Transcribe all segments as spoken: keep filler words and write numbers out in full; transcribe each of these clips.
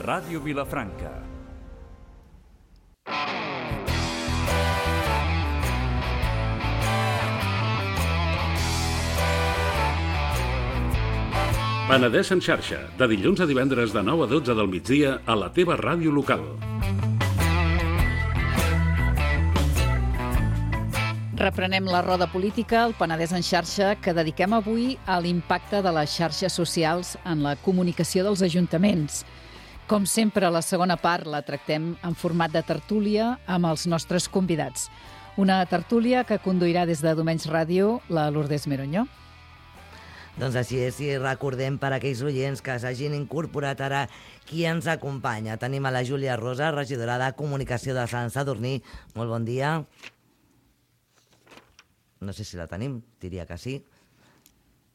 Ràdio Vilafranca. Penedès en xarxa, de dilluns a divendres de nou a dotze del migdia a la teva ràdio local. Reprenem la roda política, el Penedès en xarxa, que dediquem avui a l'impacte de les xarxes socials en la comunicació dels ajuntaments. Com sempre, la segona part la tractem en format de tertúlia amb els nostres convidats. Una tertúlia que conduirà des de Domenys Ràdio la Lourdes Meroñó. Doncs així és, i recordem per a aquells oients que s'hagin incorporat ara qui ens acompanya. Tenim a la Júlia Rosa, regidora de Comunicació de Sant Sadurní. Molt bon dia. No sé si la tenim, diria que sí.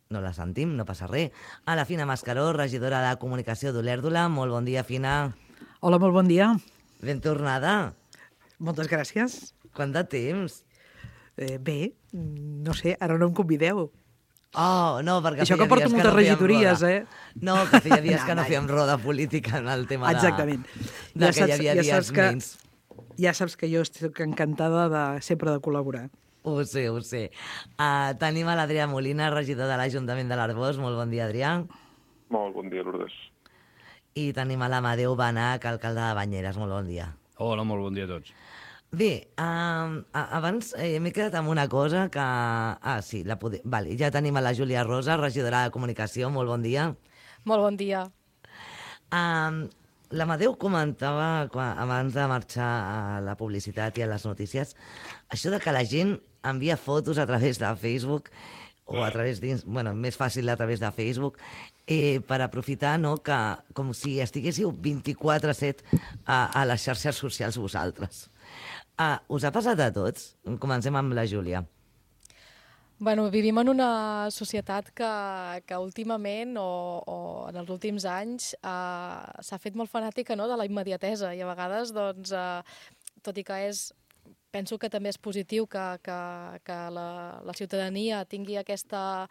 No la sentim, no passa res. A la Fina Mascaró, regidora de Comunicació d'Olèrdola. Molt bon dia, Fina. Hola, molt bon dia. Ben tornada. Moltes gràcies. Quant de temps? Eh, bé, no sé, ara no em convideu. Oh, no, perquè Això feia que porto dies que moltes no fèiem regidories, roda. eh? No, que feia dies No, que no no. fèiem roda política en el tema de... Exactament. De que hi havia ja dies saps que, menys. ja saps que jo estic encantada de, sempre de col·laborar. Ho sé, ho sé. Uh, tenim a l'Adrià Molina, regidor de l'Ajuntament de l'Arboç. Molt bon dia, Adrià. Molt bon dia, Lourdes. I tenim a l'Amadeu Benach, alcalde de Banyeres. Molt bon dia. Hola, molt bon dia a tots. Bé, uh, abans eh, m'he quedat amb una cosa que... Ah, sí, la pode... vale, ja tenim a la Júlia Rosa, regidora de Comunicació. Molt bon dia. Molt bon dia. Uh, L'Amadeu comentava quan, abans de marxar a la publicitat i a les notícies això de que la gent envia fotos a través de Facebook o a través dins, bueno, més fàcil a través de Facebook, eh, per aprofitar, no?, que com si estiguéssiu vint-i-quatre set a, a les xarxes socials vosaltres. Uh, us ha passat a tots? Comencem amb la Júlia. Bueno, vivim en una societat que, que últimament o, o en els últims anys eh, s'ha fet molt fanàtica, no?, de la immediatesa, i a vegades, doncs, eh, tot i que és, penso que també és positiu que, que, que la, la ciutadania tingui aquesta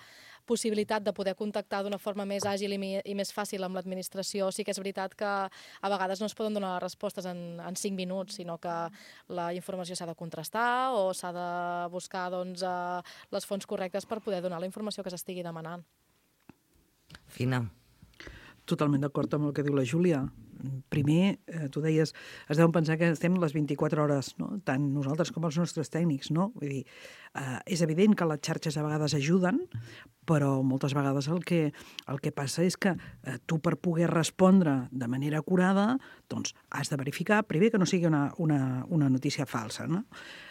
possibilitat de poder contactar d'una forma més àgil i, mi, i més fàcil amb l'administració. Sí que és veritat que a vegades no es poden donar respostes en, en cinc minuts, sinó que la informació s'ha de contrastar o s'ha de buscar, doncs, eh, les fonts correctes per poder donar la informació que s'estigui demanant. Fina. Totalment d'acord amb el que diu la Júlia. Primer, eh, tu deies, es deuen pensar que estem les vint-i-quatre hores, no?, tant nosaltres com els nostres tècnics, no? Vull dir, eh, és evident que les xarxes a vegades ajuden, però moltes vegades el que, el que passa és que eh, tu, per poder respondre de manera acurada, doncs has de verificar, primer, que no sigui una, una, una notícia falsa, no?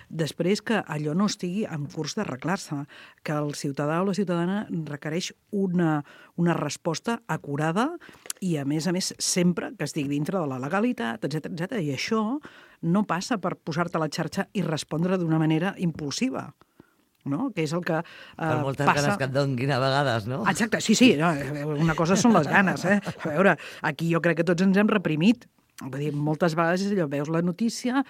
Després, que allò no estigui en curs d'arreglar-se, que el ciutadà o la ciutadana requereix una, una resposta acurada i, a més a més, sempre que estigui dintre de la legalitat, etcètera, etcètera. I això no passa per posar-te a la xarxa i respondre d'una manera impulsiva, no?, que és el que eh, Per moltes passa... ganes que et donguin a vegades, no? Exacte, sí, sí, no, una cosa són les ganes, eh? A veure, aquí jo crec que tots ens hem reprimit. Vull dir, moltes vegades allò, veus la notícia,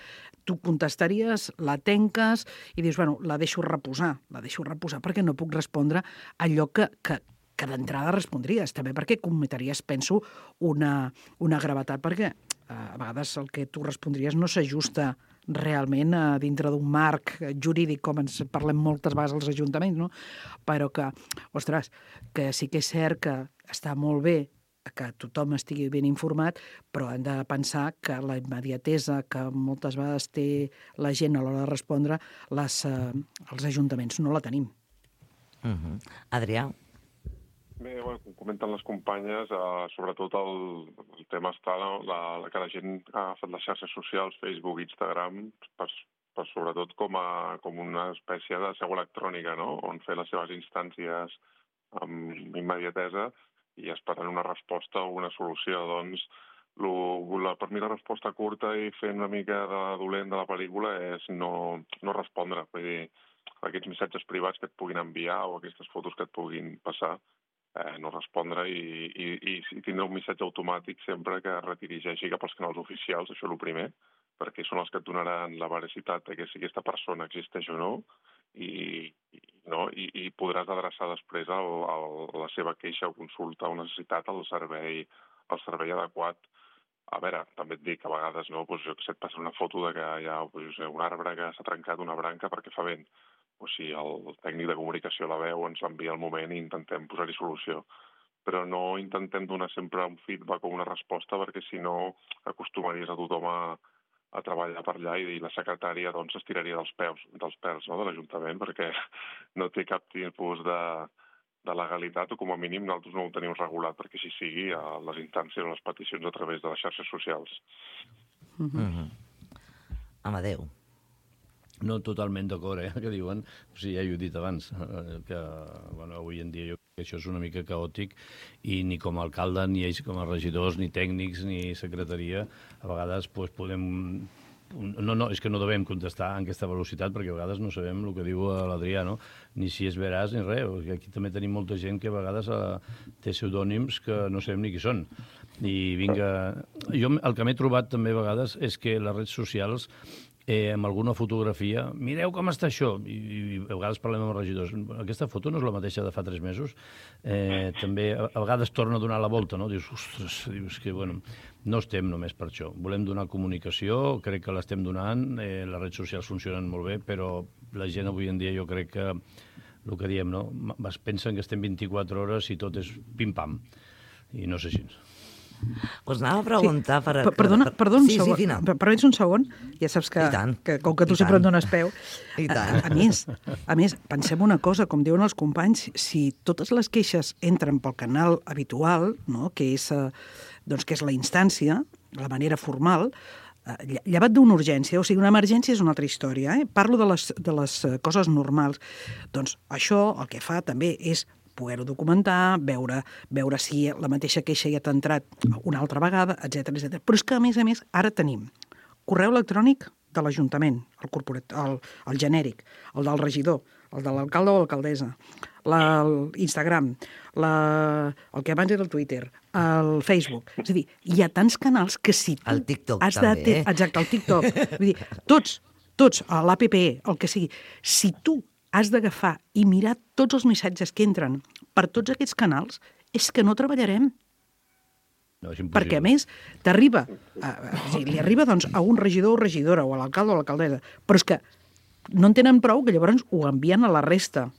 tu contestaries, la tenques i dius, bueno, la deixo reposar, la deixo reposar perquè no puc respondre allò que, que, que d'entrada respondries, també perquè cometries, penso, una, una gravetat, perquè eh, a vegades el que tu respondries no s'ajusta realment a dintre d'un marc jurídic, com ens parlem moltes vegades als ajuntaments, no? Però que, ostres, que sí que és cert que està molt bé que tothom estigui ben informat, però hem de pensar que la immediatesa que moltes vegades té la gent a l'hora de respondre, les, eh, els ajuntaments no la tenim. Uh-huh. Adrià? Bé, bueno, com comenten les companyes, eh, sobretot el, el tema està, no? la, la, que la gent ha agafat les xarxes socials, Facebook, Instagram, per, per sobretot com, a, com una espècie de seu electrònica, no?, on fer les seves instàncies amb immediatesa i esperant una resposta o una solució. Doncs, lo, la, per mi la resposta curta i fent una mica de dolent de la pel·lícula és no, no respondre. Vull dir, aquests missatges privats que et puguin enviar o aquestes fotos que et puguin passar, eh, no respondre i, i, i, i tindre un missatge automàtic sempre que es redirigeixi cap als canals oficials, això és el primer, perquè són els que et donaran la veracitat de que si aquesta persona existeix o no, i, i no? I, i podràs adreçar després el, el, la seva queixa o consulta o necessitat al servei, al servei adequat. A veure, també et dic que a vegades, no, doncs jo que sé, et passa una foto de que hi ha doncs, sé, un arbre que s'ha trencat una branca perquè fa vent. O si el tècnic de comunicació la veu, ens l'envia al moment i intentem posar-hi solució. Però no intentem donar sempre un feedback o una resposta, perquè si no acostumaries a tothom a, a treballar per allà i la secretària doncs, es tiraria dels peus, dels pèls, no, de l'Ajuntament, perquè no té cap tipus de, de legalitat, o com a mínim nosaltres no ho tenim regulat, perquè així sigui a les instàncies o les peticions a través de les xarxes socials. Mm-hmm. Amadeu. No, totalment d'acord, eh, que diuen. O sigui, ja ho he dit abans, que bueno, avui en dia jo crec que això és una mica caòtic i ni com a alcalde, ni ells com a regidors, ni tècnics, ni secretaria, a vegades pues, podem... No, no, és que no devem contestar en aquesta velocitat perquè a vegades no sabem el que diu l'Adrià, no? Ni si és veràs ni res. Aquí també tenim molta gent que a vegades té pseudònims que no sabem ni qui són. I vinga... Jo el que m'he trobat també a vegades és que les redes socials eh, amb alguna fotografia, mireu com està això, I, i a vegades parlem amb els regidors, aquesta foto no és la mateixa de fa tres mesos, eh, també a, a vegades torna a donar la volta, no? Dius, ostres, dius que, bueno, no estem només per això, volem donar comunicació, crec que l'estem donant, eh, les redes socials funcionen molt bé, però la gent avui en dia jo crec que, el que diem, no? Es pensen que estem vint-i-quatre hores i tot és pim-pam, i no sé si... Us anava a preguntar... Sí. Per, perdona, per, perdona un sí, segon. Sí, per, permets un segon? Ja saps que, que com que tu I sempre tant. em dones peu... I tant. A, a, més, a més, pensem una cosa, com diuen els companys, si totes les queixes entren pel canal habitual, no? que, és, eh, doncs, que és la instància, la manera formal, eh, llevat d'una urgència, o sigui, una emergència és una altra història. Eh? Parlo de les, de les coses normals. Doncs això el que fa també és poder-ho documentar, veure, veure si la mateixa queixa ja t'ha entrat una altra vegada, etcètera, etcètera. Però és que, a més a més, ara tenim correu electrònic de l'Ajuntament, el, corporat, el, el genèric, el del regidor, el de l'alcalde o l'alcaldessa, l'Instagram, la, el que abans era el Twitter, el Facebook. És a dir, hi ha tants canals que si tu... El TikTok has també, de, eh? Exacte, el TikTok. Vull dir, tots, tots, l'A P P, el que sigui, si tu has d'agafar i mirar tots els missatges que entren per tots aquests canals, és que no treballarem. No, és impossible. Perquè, a més, t'arriba, a, a, o sigui, li arriba doncs, a un regidor o regidora, o a l'alcalde o a l'alcaldessa, però és que no en tenen prou, que llavors ho envien a la resta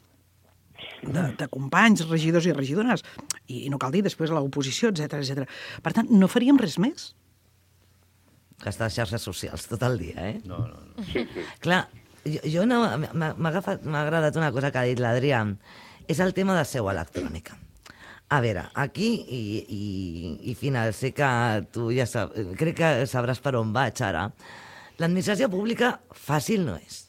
de, de companys, regidors i regidores, i, i no cal dir després a l'oposició, etcètera, etcètera. Per tant, no faríem res més. Gastar xarxes socials tot el dia, eh? No, no, no. Sí, sí. Clar, jo, jo no, m'ha agafat, m'ha agradat una cosa que ha dit l'Adrià, és el tema de seu electrònica. A veure, aquí, i, i, i Fina, sé que tu ja sab, crec que sabràs per on vaig ara, l'administració pública fàcil no és.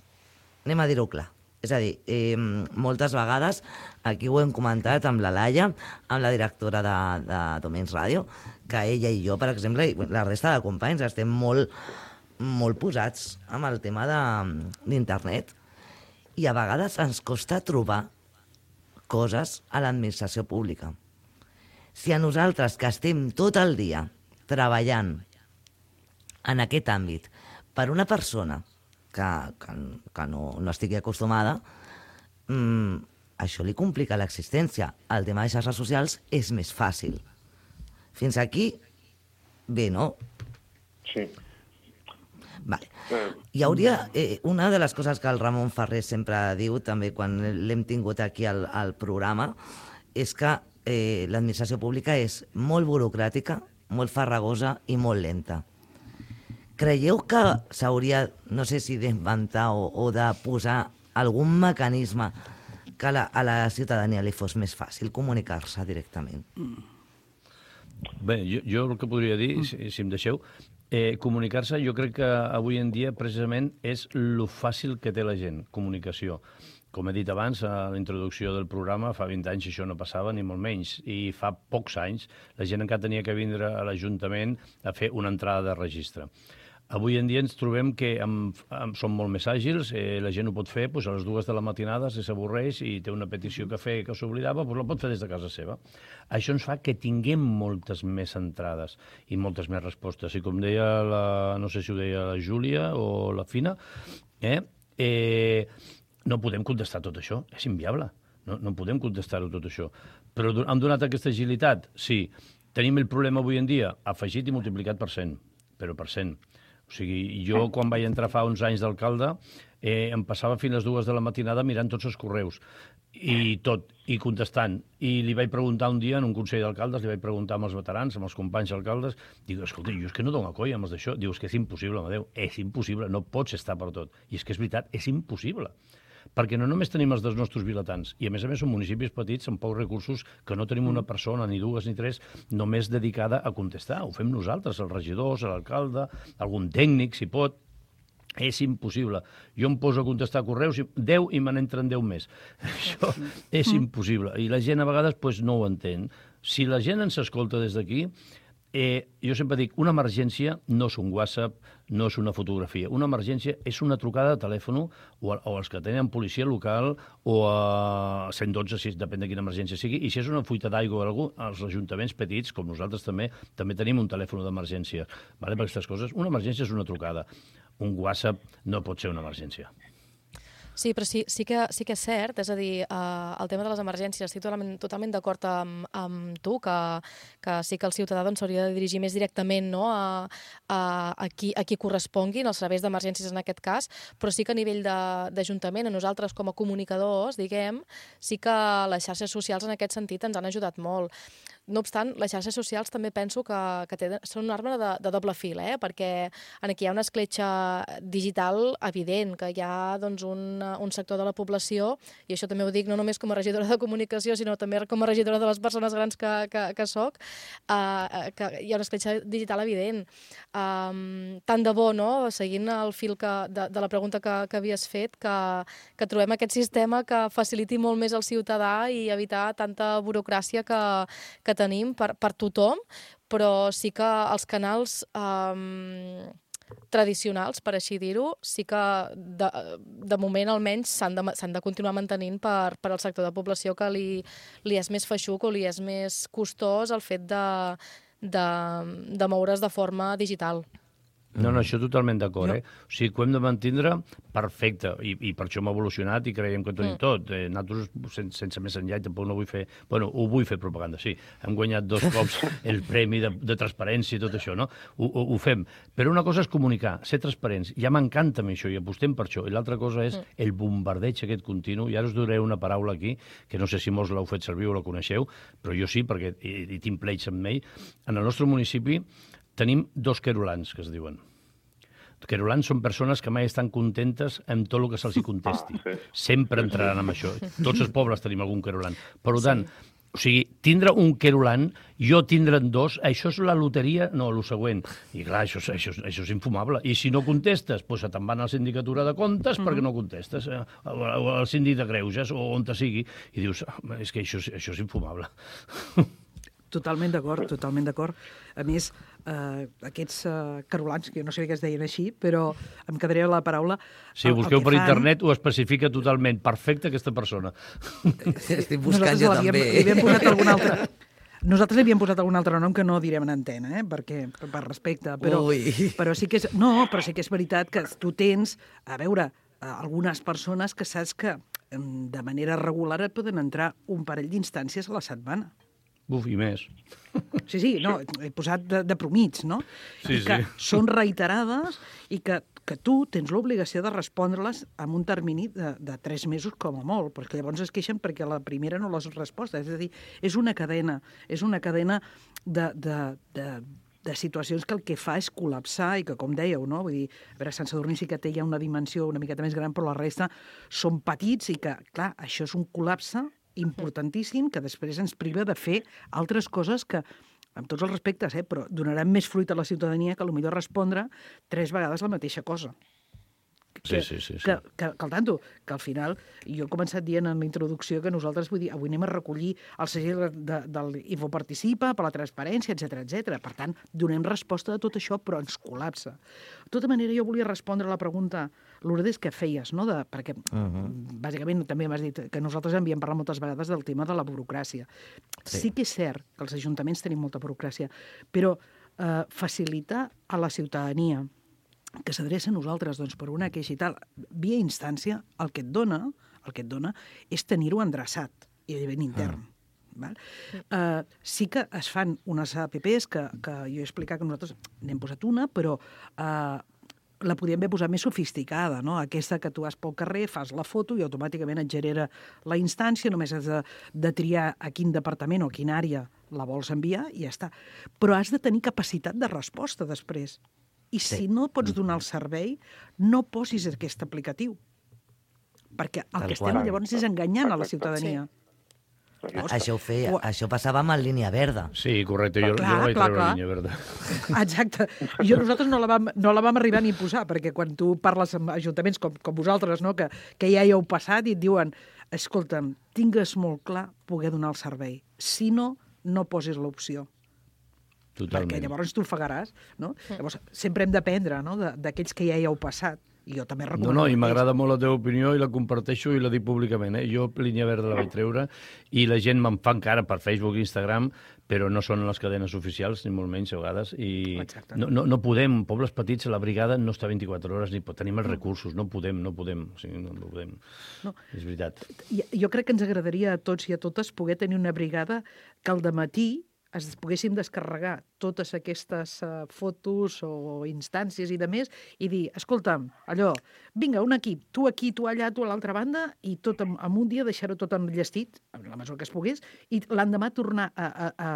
Anem a dir-ho clar. És a dir, eh, moltes vegades, aquí ho hem comentat amb la Laia, amb la directora de, de Domens Ràdio, que ella i jo, per exemple, i la resta de companys, estem molt, molt posats amb el tema d'internet. I a vegades ens costa trobar coses a l'administració pública. Si a nosaltres, que estem tot el dia treballant en aquest àmbit per una persona que, que, que no, no estigui acostumada, mmm, això li complica l'existència. El tema de xarxes socials és més fàcil. Fins aquí, bé, no? Sí. Vale. Hi hauria eh, una de les coses que el Ramon Ferrer sempre diu, també quan l'hem tingut aquí al, al programa, és que eh, l'administració pública és molt burocràtica, molt farragosa i molt lenta. Creieu que s'hauria, no sé si d'inventar o, o de posar algun mecanisme que a la, a la ciutadania li fos més fàcil comunicar-se directament? Bé, jo, jo el que podria dir, si, si em deixeu, Eh, comunicar-se, jo crec que avui en dia precisament és lo fàcil que té la gent, comunicació. Com he dit abans, a la introducció del programa, fa vint anys això no passava, ni molt menys. I fa pocs anys la gent encara tenia que vindre a l'Ajuntament a fer una entrada de registre. Avui en dia ens trobem que amb, amb, som molt més àgils, eh, la gent ho pot fer doncs, a les dues de la matinada, si s'avorreix i té una petició que fer que s'oblidava, doncs la pot fer des de casa seva. Això ens fa que tinguem moltes més entrades i moltes més respostes. I com deia, la, no sé si ho deia la Júlia o la Fina, eh, eh, no podem contestar tot això, és inviable. No, no podem contestar-ho tot això. Però hem donat aquesta agilitat? Sí. Tenim el problema avui en dia afegit i multiplicat per cent, però per cent. O sigui, jo quan vaig entrar fa uns anys d'alcalde eh, em passava fins a les dues de la matinada mirant tots els correus i tot, i contestant. I li vaig preguntar un dia en un consell d'alcaldes, li vaig preguntar amb els veterans, amb els companys alcaldes, dic, escolta, jo és que no dono colla amb els d'això. Diu, és que és impossible, Amadeu, és impossible, no pots estar per tot. I és que és veritat, és impossible. Perquè no només tenim els dels nostres vilatans, i a més a més són municipis petits amb pocs recursos que no tenim una persona, ni dues ni tres, només dedicada a contestar. Ho fem nosaltres, els regidors, l'alcalde, algun tècnic, si pot. És impossible. Jo em poso a contestar correus, deu i me n'entren deu més. Això és impossible. I la gent a vegades pues, no ho entén. Si la gent ens escolta des d'aquí, Eh, jo sempre dic, una emergència no és un WhatsApp, no és una fotografia. Una emergència és una trucada de telèfon o, o els que tenen policia local o a cent dotze, si depèn de quina emergència sigui. I si és una fuita d'aigua o algú, els ajuntaments petits, com nosaltres també, també tenim un telèfon d'emergència. Vale? Per aquestes coses, una emergència és una trucada. Un WhatsApp no pot ser una emergència. Sí, però sí, sí, que, sí que és cert, és a dir, uh, el tema de les emergències, estic totalment, totalment d'acord amb, amb tu, que, que sí que el ciutadà doncs, s'hauria de dirigir més directament no, a, a, a, qui, a qui corresponguin, als serveis d'emergències en aquest cas, però sí que a nivell d'Ajuntament, a nosaltres com a comunicadors, diguem, sí que les xarxes socials en aquest sentit ens han ajudat molt. No obstant, les xarxes socials també penso que, que tenen, són una arma de, de doble fil, eh? Perquè aquí hi ha una escletxa digital evident, que hi ha doncs, un, un sector de la població, i això també ho dic no només com a regidora de comunicació, sinó també com a regidora de les persones grans que, que, que soc, uh, que hi ha una escletxa digital evident. Um, tant de bo, no?, seguint el fil que, de, de la pregunta que, que havies fet, que, que trobem aquest sistema que faciliti molt més el ciutadà i evitar tanta burocràcia que, que tenim per, per tothom, però sí que els canals um, tradicionals, per així dir-ho, sí que de, de moment almenys s'han de, s'han de continuar mantenint per, per al sector de població que li, li és més feixuc o li és més costós el fet de, de, de moure's de forma digital. No, no, això totalment d'acord, eh? O sigui, que ho hem de mantindre perfecte, i, i per això hem evolucionat i creiem que ho tenim mm. tot. Eh, nosaltres, sense, sense més enllà, tampoc no vull fer... Bueno, ho vull fer propaganda, sí. Hem guanyat dos cops el premi de, de transparència i tot això, no? Ho, ho, ho fem. Però una cosa és comunicar, ser transparents. Ja m'encanta això i apostem per això. I l'altra cosa és mm. el bombardeig aquest continu. I ara us duré una paraula aquí, que no sé si molts l'heu fet servir o la coneixeu, però jo sí, perquè hi, hi tinc pleits amb ell. En el nostre municipi tenim dos querulans, que es diuen. Querulans són persones que mai estan contentes amb tot el que se'ls contesti. Ah, sí. Sempre entraran amb això. Tots els pobles tenim algun querulant. Per tant, sí. O sigui, tindre un querulant, jo tindre'n dos, això és la loteria, no, el següent. I clar, això, això, això és infumable. I si no contestes, doncs te'n van a la sindicatura de comptes mm-hmm. perquè no contestes, eh, al síndic de greuges o on te sigui, i dius, és que això, això és infumable. Totalment d'acord, totalment d'acord. A més, eh, aquests eh, carolans, que jo no sabia que es deien així, però em quedaria la paraula... Si ho busqueu per fan... internet, ho especifica totalment. Perfecte, aquesta persona. Estic buscant jo també. Li havíem posat algun altre... Nosaltres li havíem posat algun altre nom que no direm en antena, eh? Perquè, per respecte. Però, però sí que és... No, però sí que és veritat que tu tens, a veure, algunes persones que saps que de manera regular et poden entrar un parell d'instàncies a la setmana. Buf, i més. Sí, sí, no, he posat de, de promits, no? Sí, I que sí. són reiterades i que, que tu tens l'obligació de respondre-les en un termini de, de tres mesos com a molt, perquè llavors es queixen perquè la primera no les respostes. És a dir, és una cadena, és una cadena de, de, de, de situacions que el que fa és col·lapsar i que, com dèieu, no? Vull dir, a veure, Sant Sadurní sí que té ja una dimensió una miqueta més gran, però la resta són petits i que, clar, això és un col·lapse importantíssim que després ens priva de fer altres coses que, amb tots els respectes, eh, però donaran més fruit a la ciutadania que potser respondre tres vegades la mateixa cosa. Que, sí, sí, sí, sí. Que, que, que, al tanto, que al final, jo he començat dient en la introducció que nosaltres, vull dir, avui anem a recollir el segell de, de l'Infoparticipa per la transparència, etcètera, etcètera. Per tant, donem resposta a tot això, però ens col·lapsa. De tota manera, jo volia respondre a la pregunta, Lourdes, que feies, no? De, perquè, uh-huh. bàsicament, també m'has dit que nosaltres havíem parlat moltes vegades del tema de la burocràcia. Sí, sí que és cert que els ajuntaments tenim molta burocràcia, però eh, facilitar a la ciutadania que s'adreça a nosaltres doncs, per una queixa i tal, via instància, el que et dona, el que et dona és tenir-ho endreçat i a nivell intern. Mm. Val? Uh, sí que es fan unes apps que, que jo he explicat que nosaltres n'hem posat una, però uh, la podíem haver posat més sofisticada, no? Aquesta que tu vas pel carrer, fas la foto i automàticament et genera la instància, només has de, de triar a quin departament o a quina àrea la vols enviar i ja està. Però has de tenir capacitat de resposta després. I sí. Si no pots donar el servei, no posis aquest aplicatiu. Perquè el Tal que estem qual. Llavors és enganyant a la ciutadania. Sí. Llavors, això, ho feia, o... això passava amb el línia verda. Sí, correcte, jo, clar, jo no vaig clar, treure clar. La línia verda. Exacte. I jo nosaltres no la, vam, no la vam arribar ni a posar, perquè quan tu parles amb ajuntaments com, com vosaltres, no? que, que ja hi heu passat i et diuen, escolta'm, tingues molt clar poder donar el servei. Si no, no posis l'opció. Totalment. Perquè llavors tu ofegaràs. No? Llavors, sempre hem d'aprendre, no? d'aquells que ja hi heu passat. I jo també recomano. No, no, i m'agrada molt la teva opinió i la comparteixo i la dic públicament. Eh? Jo línia verda la vaig treure i la gent me'n fa encara per Facebook i Instagram, però no són les cadenes oficials, ni molt menys a vegades. I no, no, no podem, pobles petits, la brigada no està vint-i-quatre hores ni tenim els recursos, no podem, no podem. O sigui, no, no podem. No. És veritat. Jo crec que ens agradaria a tots i a totes poder tenir una brigada que al dematí es poguéssim descarregar totes aquestes uh, fotos o instàncies i de més i dir, escolta'm, allò, vinga, un equip, tu aquí, tu allà, tu a l'altra banda, i tot en, en un dia deixar-ho tot enllestit, en la mesura que es pogués, i l'endemà tornar a, a, a,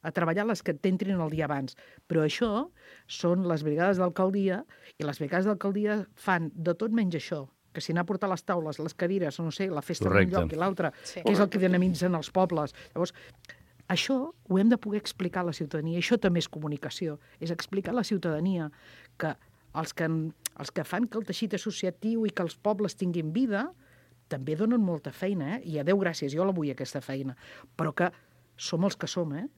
a treballar les que t'entrin el dia abans. Però això són les brigades d'alcaldia, i les brigades d'alcaldia fan de tot menys això, que si anar a portar les taules, les cadires, no sé, la festa d'un lloc i l'altre, sí. Que és el que dinamitzen els pobles. Llavors, això ho hem de poder explicar a la ciutadania. Això també és comunicació. És explicar a la ciutadania que els que, els que fan que el teixit associatiu i que els pobles tinguin vida també donen molta feina, eh? I a Déu gràcies, jo la vull, aquesta feina. Però que som els que som, eh?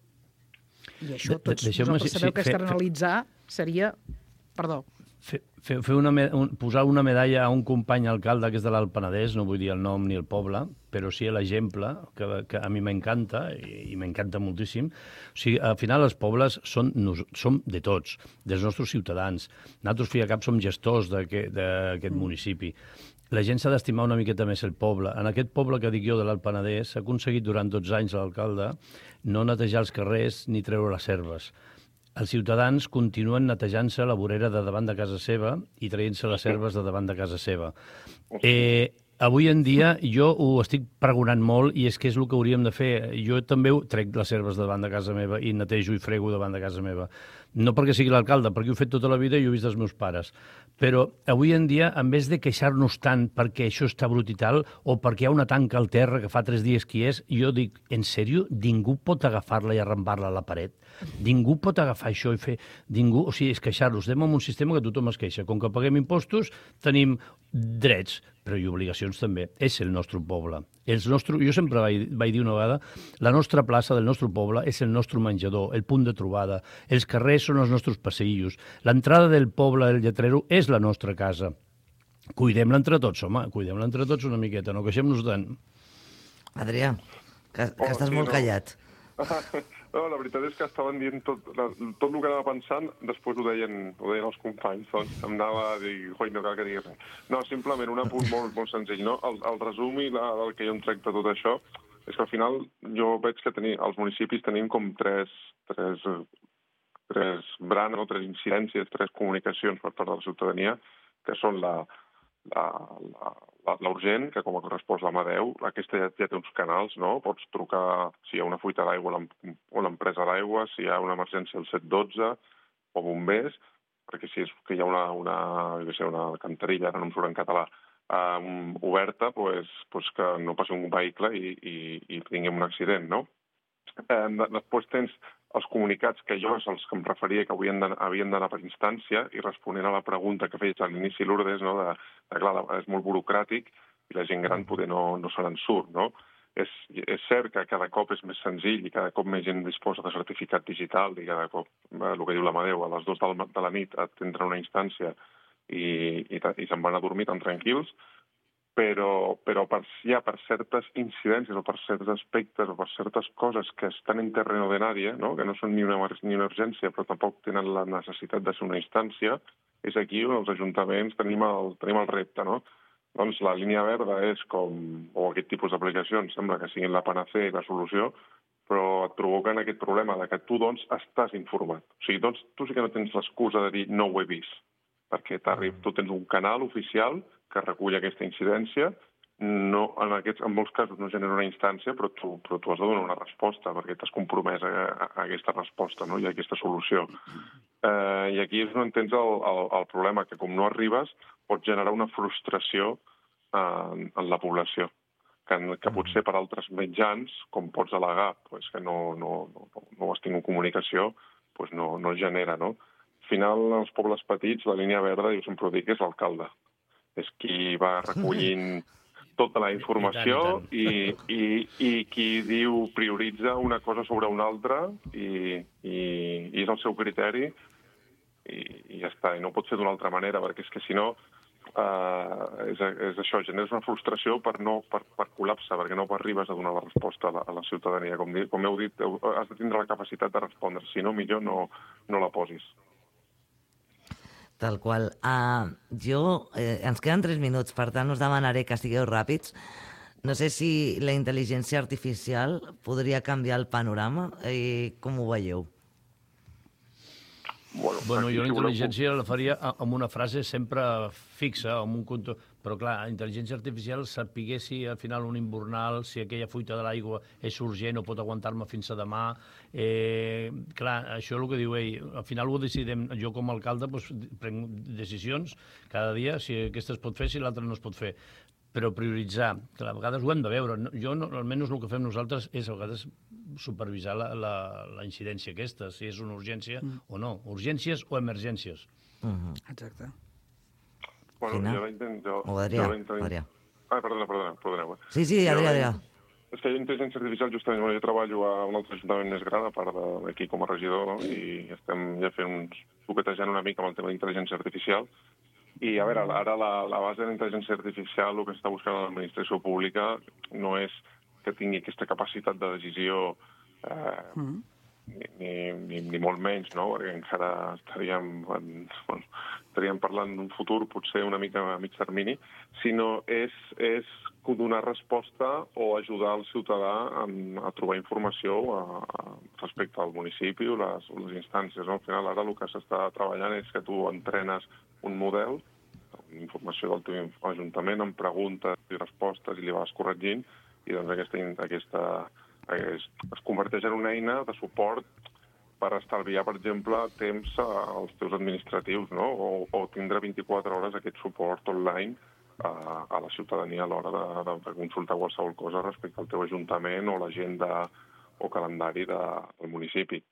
I això tots vosaltres sabeu que externalitzar seria... Perdó. Fer, fer, fer una, un, posar una medalla a un company alcalde que és de l'Alt Penedès, no vull dir el nom ni el poble, però sí l'exemple, que, que a mi m'encanta, i, i m'encanta moltíssim. O sigui, al final els pobles són, som de tots, dels nostres ciutadans. Nosaltres, fi de cap, som gestors d'aquest mm. municipi. La gent s'ha d'estimar una miqueta més el poble. En aquest poble que dic jo de l'Alt Penedès s'ha aconseguit durant dotze anys l'alcalde no netejar els carrers ni treure les serves. Els ciutadans continuen netejant-se la vorera de davant de casa seva i traient-se les serves de davant de casa seva. Eh, avui en dia jo ho estic pregonant molt i és que és el que hauríem de fer. Jo també trec les serves davant de casa meva i netejo i frego davant de casa meva. No perquè sigui l'alcalde, perquè ho he fet tota la vida i ho he vist dels meus pares. Però avui en dia, en vez de queixar-nos tant perquè això està brut i tal, o perquè hi ha una tanca al terra que fa tres dies que hi és, jo dic, en sèrio, ningú pot agafar-la i arrambar-la a la paret? Ningú pot agafar això i fer... Ningú, o sigui, és queixar-nos. Estem en un sistema que tothom es queixa. Com que paguem impostos, tenim drets, però i obligacions també. És el nostre poble. Els nostre... Jo sempre vaig, vaig dir una vegada, la nostra plaça del nostre poble és el nostre menjador, el punt de trobada. Els carrers són els nostres passeillos. L'entrada del poble del Lletrero és la nostra casa. Cuidem-la entre tots, home, cuidem-la entre tots una miqueta, no queixem-nos tant. Adrià, que, que oh, estàs sí, molt no. callat. No, la veritat és que estaven dient tot, la, tot el que anava pensant, després ho deien, ho deien els companys, doncs em anava a dir, oi, no cal que diguis res. No, simplement un apunt molt, molt senzill, no? El, el resum i la, el que jo em trec de tot això és que al final jo veig que tenir, els municipis tenim com tres, tres, tres branes, no? Tres incidències, tres comunicacions per part de la ciutadania, que són la, la, la, la urgent, que com a correspòs l'Amadeu, aquesta ja, ja té uns canals, no? Pots trucar si hi ha una fuita d'aigua o l'empresa d'aigua, si hi ha una emergència al set dotze o bombers, perquè si és que hi ha una, una, sé, una cantarilla, ara no em surt en català, um, oberta, pues, pues que no passi un vehicle i, i, i tinguem un accident, no? Eh, després tens els comunicats que jo és els que em referia que havien d'anar per instància i responent a la pregunta que feies a l'inici, Lourdes, no, de, de, clar, és molt burocràtic i la gent gran poder no, no se n'en surt, no? És, és cert que cada cop és més senzill i cada cop més gent disposa de certificat digital i cada cop, eh, el que diu l'Amadeu, a les dues de la nit et entra una instància i, i, i se'n van a dormir tan tranquils, però, però per, ja per certes incidències o per certs aspectes o per certes coses que estan en terreno de nadie, no? Que no són ni una, ni una urgència però tampoc tenen la necessitat de ser una instància, és aquí on els ajuntaments tenim el, tenim el repte, no? Doncs la línia verda és com, o aquest tipus d'aplicacions sembla que siguin la panacea i la solució, però et provoquen aquest problema de que tu, doncs, estàs informat. O sigui, doncs, tu sí que no tens l'excusa de dir no ho he vist, perquè tu tens un canal oficial que recull aquesta incidència, no, en, aquests, en molts casos no genera una instància, però tu, però tu has de donar una resposta, perquè t'has compromès a, a, a aquesta resposta, no? I a aquesta solució. Eh, I aquí és on tens el, el, el problema, que com no arribes, pot generar una frustració en, en la població, que, que potser per altres mitjans, com pots al·legar pues, que no, no, no, no has tingut comunicació, pues no, no genera, no? Al final, als pobles petits, la línia verda, jo sempre ho dic, és l'alcalde. És qui va recollint tota la informació i, i, i qui diu, prioritza una cosa sobre una altra i, i, i és el seu criteri i, i ja està. I no pot ser d'una altra manera, perquè és que si no uh, és, és això, generes una frustració per, no, per, per col·lapse, perquè no arribes a donar la resposta a la, a la ciutadania. Com, com heu dit, has de tindre la capacitat de respondre. Si no, millor no, no la posis. Tal qual. Uh, jo, eh, ens queden tres minuts, per tant us demanaré que sigueu ràpids. No sé si la intel·ligència artificial podria canviar el panorama. Eh, com ho veieu? Bueno, bueno jo la intel·ligència la faria amb una frase sempre fixa, amb un conto... Però, clar, la intel·ligència artificial sapigués si al final un invernal, si aquella fuita de l'aigua és urgent o pot aguantar-me fins a demà. Eh, clar, això és el que diu ell. Al final ho decidem. Jo, com a alcalde, doncs, prenc decisions cada dia, si aquesta es pot fer, si l'altra no es pot fer. Però prioritzar, que a vegades ho hem de veure. Jo, no, almenys el que fem nosaltres és a vegades supervisar la, la, la incidència aquesta, si és una urgència mm. o no. Urgències o emergències. Mm-hmm. Exacte. Bueno, jo la intento... O Adrià, intent... Adrià. Ah, perdona, perdona, perdoneu. Sí, sí, Adrià, Adrià. És que jo intel·ligència artificial, justament, bueno, jo treballo a un altre ajuntament més gran, a part d'aquí com a regidor, no? I estem ja fent uns... toquetejant una mica amb el tema d'intel·ligència artificial. I, a veure, ara la, la base de la intel·ligència artificial, el que està buscant l'administració pública no és que tingui aquesta capacitat de decisió eh, mm. ni, ni, ni, ni molt menys, no? Perquè encara estaríem, en, bueno, estaríem parlant d'un futur potser una mica a mig termini, sinó és, és donar resposta o ajudar el ciutadà a, a trobar informació a, a, respecte al municipi o les, o les instàncies. No? Al final, ara el que s'està treballant és que tu entrenes un model, una informació del teu ajuntament, amb preguntes i respostes, i li vas corregint, i doncs aquesta, aquesta es, es converteix en una eina de suport per estalviar, per exemple, temps als teus administratius, no? o, o tindre vint-i-quatre hores aquest suport online a, a la ciutadania a l'hora de, de, de consultar qualsevol cosa respecte al teu ajuntament o l'agenda o calendari de, del municipi.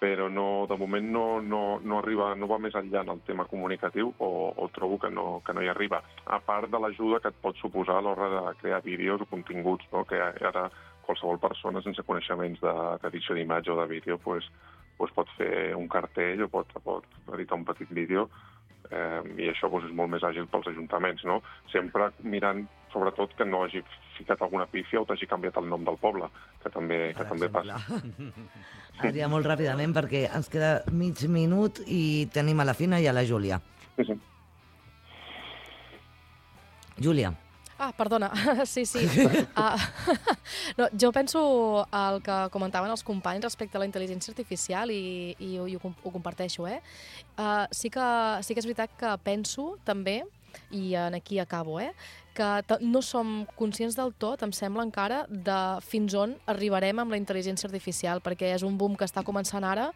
Però no, de moment no, no, no, arriba, no va més enllà en el tema comunicatiu o, o trobo que no, que no hi arriba. A part de l'ajuda que et pot suposar a l'hora de crear vídeos o continguts, no? Que ara qualsevol persona sense coneixements d'edició d'imatge o de vídeo pues, pues pot fer un cartell o pot, pot editar un petit vídeo eh, i això pues, és molt més àgil pels ajuntaments, no? Sempre mirant, sobretot, que no hagi ficat alguna pífia o t'hagi canviat el nom del poble, que també, que també passa. Adrià, molt ràpidament, perquè ens queda mig minut i tenim a la Fina i a la Júlia. Sí, sí. Júlia. Ah, perdona, sí, sí. Uh, no, jo penso el que comentaven els companys respecte a la intel·ligència artificial i, i, i ho, ho comparteixo, eh? Uh, sí, que, sí que és veritat que penso també, i en aquí acabo, eh? que no som conscients del tot, em sembla encara, de fins on arribarem amb la intel·ligència artificial, perquè és un boom que està començant ara,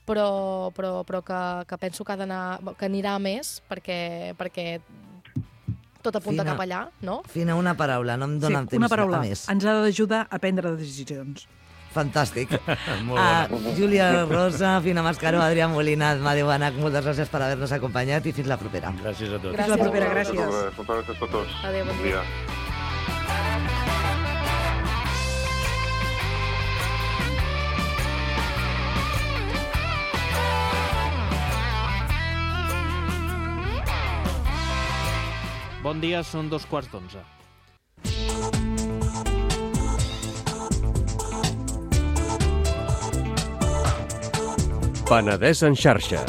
però, però, però que, que penso que, ha d'anar, que anirà més, perquè, perquè tot apunta Fina, cap allà, no? Fina, una paraula, no em dóna sí, temps una paraula. A més. Ens ha d'ajudar a prendre decisions. Fantàstic. Molt bona. Uh, Júlia Rosa, Fina Mascaró, Adrià Molina, Amadeu Banach, moltes gràcies per haver-nos acompanyat i fins la propera. Gràcies a tots. Gràcies. Fins la propera, gràcies. Moltes gràcies a tots. Adéu, bon dia. Bon dia, són dos quarts d'onze. Penedès en xarxa.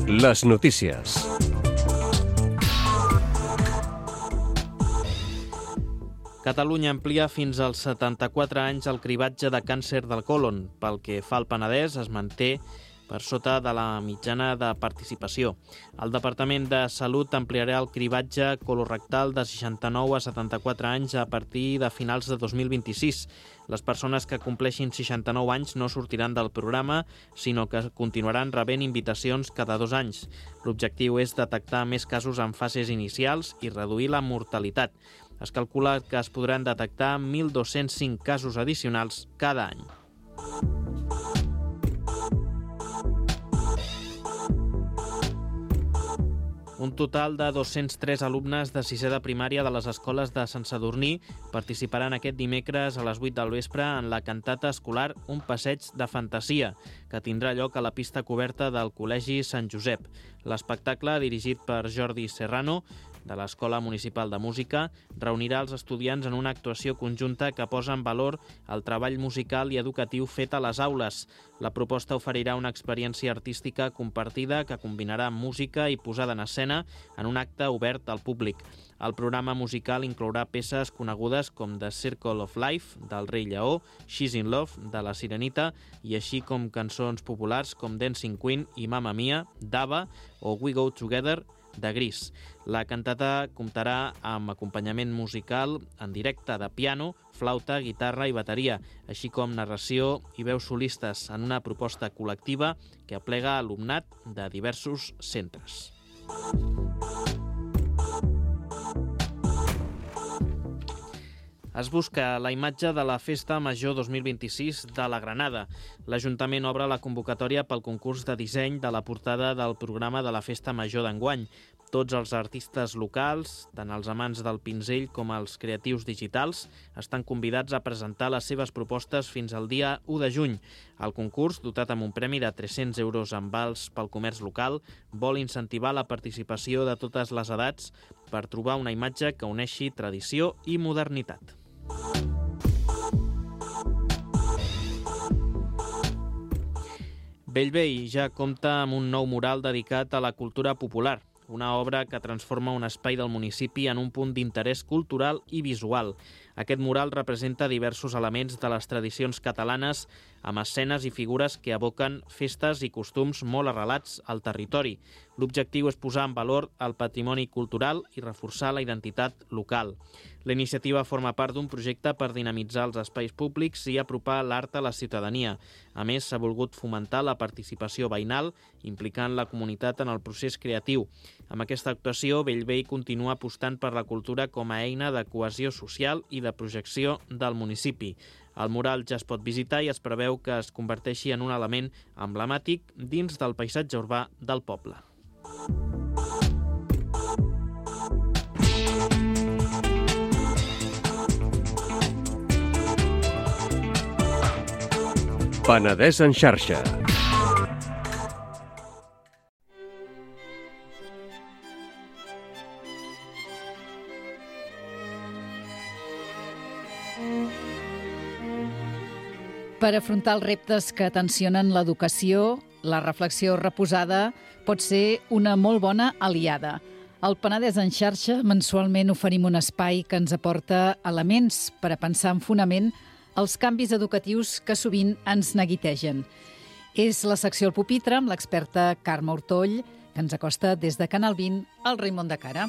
Les notícies. Catalunya amplia fins als setanta-quatre anys el cribatge de càncer del còlon. Pel que fa al Penedès, es manté per sota de la mitjana de participació. El Departament de Salut ampliarà el cribatge colorectal de seixanta-nou a setanta-quatre anys a partir de finals de dos mil vint-i-sis. Les persones que compleixin seixanta-nou anys no sortiran del programa, sinó que continuaran rebent invitacions cada dos anys. L'objectiu és detectar més casos en fases inicials i reduir la mortalitat. Es calcula que es podran detectar mil dos-cents cinc casos addicionals cada any. Un total de dos-cents tres alumnes de sisè de primària de les escoles de Sant Sadurní participaran aquest dimecres a les vuit del vespre en la cantata escolar Un passeig de fantasia, que tindrà lloc a la pista coberta del Col·legi Sant Josep. L'espectacle, dirigit per Jordi Serrano, de l'Escola Municipal de Música, reunirà els estudiants en una actuació conjunta que posa en valor el treball musical i educatiu fet a les aules. La proposta oferirà una experiència artística compartida que combinarà música i posada en escena en un acte obert al públic. El programa musical inclourà peces conegudes com The Circle of Life, del Rei Lleó, She's in Love, de la Sirenita, i així com cançons populars com Dancing Queen i Mamma Mia, d'Ava, o We Go Together, de Gris. La cantata comptarà amb acompanyament musical en directe de piano, flauta, guitarra i bateria, així com narració i veus solistes en una proposta col·lectiva que aplega alumnat de diversos centres. Es busca la imatge de la Festa Major dos mil vint-i-sis de la Granada. L'Ajuntament obre la convocatòria pel concurs de disseny de la portada del programa de la Festa Major d'enguany. Tots els artistes locals, tant els amants del pinzell com els creatius digitals, estan convidats a presentar les seves propostes fins al dia u de juny. El concurs, dotat amb un premi de tres-cents euros en vals pel comerç local, vol incentivar la participació de totes les edats per trobar una imatge que uneixi tradició i modernitat. Bellvei ja compta amb un nou mural dedicat a la cultura popular, una obra que transforma un espai del municipi en un punt d'interès cultural i visual. Aquest mural representa diversos elements de les tradicions catalanes amb escenes i figures que evoquen festes i costums molt arrelats al territori. L'objectiu és posar en valor el patrimoni cultural i reforçar la identitat local. La iniciativa forma part d'un projecte per dinamitzar els espais públics i apropar l'art a la ciutadania. A més, s'ha volgut fomentar la participació veïnal, implicant la comunitat en el procés creatiu. Amb aquesta actuació, Bellvei continua apostant per la cultura com a eina de cohesió social i de projecció del municipi. El mural ja es pot visitar i es preveu que es converteixi en un element emblemàtic dins del paisatge urbà del poble. Penedès en xarxa. Per afrontar els reptes que tensionen l'educació, la reflexió reposada pot ser una molt bona aliada. Al Penedès en xarxa mensualment oferim un espai que ens aporta elements per a pensar en fonament els canvis educatius que sovint ens neguitegen. És la secció El Pupitre amb l'experta Carme Ortoll, que ens acosta des de Canal vint al Raimon de Cara.